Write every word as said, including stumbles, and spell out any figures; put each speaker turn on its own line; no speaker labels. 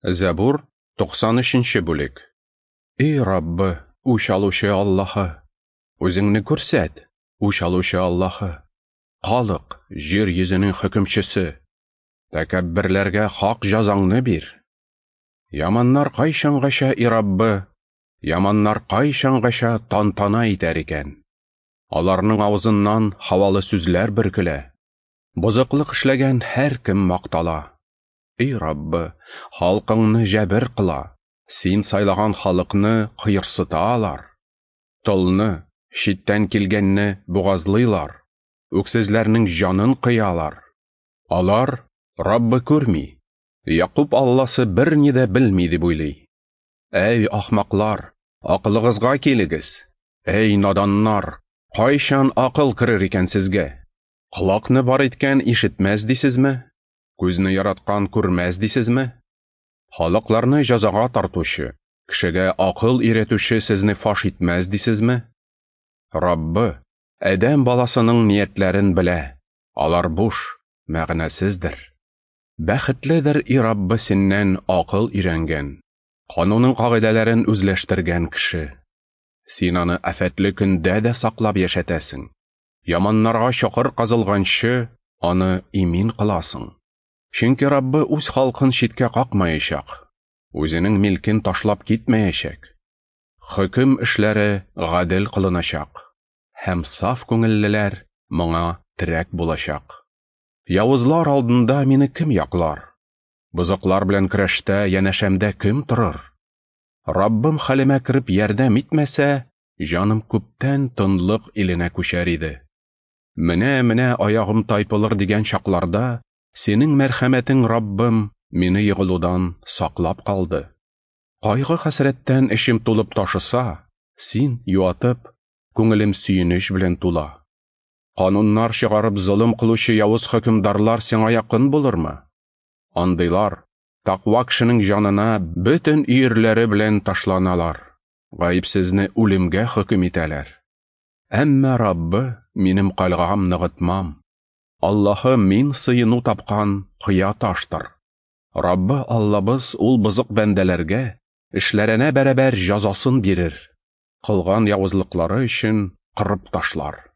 Зәбур, туксан өченче бүлек. Эй Раббы, үч алучы Аллаһы, үзеңне күрсәт, үч алучы Аллаһы. Халык, җир йөзенең хөкемчесе. Тәкәбберләргә хак җазаңны бир. Яманнар кайчангача, и Раббы, яманнар кайчангача тантана итәр икән? Аларның авызыннан һавалы сүзләр бөркелә. Бозыклык эшләгән һәркем мактала. Эй Раббы, халкыңны җәбер кыла, син сайлаган халыкны кыерсыта алар. Толны, читтән килгәнне бугазлыйлар, үксезләрнең җанын кыялар. Алар Раббы күрми, Якуб Алласы берни дә белми дип уйлый. Әй ахмаклар, акылыгызга килегез. Әй наданнар, кайчан акыл керер икән сезгә? Колакны бар иткән ишетмәс дисезме? Күзне яраткан күрмәс дисезме? Халыкларны җазага тартучы, кешегә акыл өйрәтүче сезне фаш итмәс дисезме? Раббы, адәм баласының ниятләрен белә, алар буш, мәгънәсездер. Бәхетледер и Раббы синнән акыл өйрәнгән, канунның кагыйдәләрен үзләштергән кеше. Син аны афәтле көндә дә саклап яшәтәсең. Яманнарга чокыр казылганчы, аны имин кыласың. Чөнки Раббы үз халкын читкә какмаячак, үзенең милкен ташлап китмәячәк. Хөкем эшләре гадел кылыначак, һәм саф күңеллеләр моңа терәк булачак. Явызлар алдында мине кем яклар? Бозыклар белән көрәштә янәшәмдә кем торыр? Раббым хәлемә кереп ярдәм итмәсә, җаным күптән тынлык иленә күчәр иде. Менә-менә аягым тайпылыр дигән чакларда, синең мәрхәмәтең, Раббым, мине егылудан саклап калды. Кайгы хәсрәттән эчем тулып ташыса, син юатып, күңелем сөенеч белән тула. Кануннар чыгарып золым кылучы явыз хөкемдарлар сиңа якын булырмы? Андыйлар тәкъва кешенең җанына бөтен өерләре белән ташланалар, гаепсезне үлемгә хөкем итәләр. Әмма Раббы, минем кальгам ныгытмам. Аллаһы мин сыену тапкан кыя таштыр. Раббы Аллабыз ул бозык бәндәләргә эшләренә бәрабәр җазасын бирер, кылган явызлыклары өчен кырып ташлар.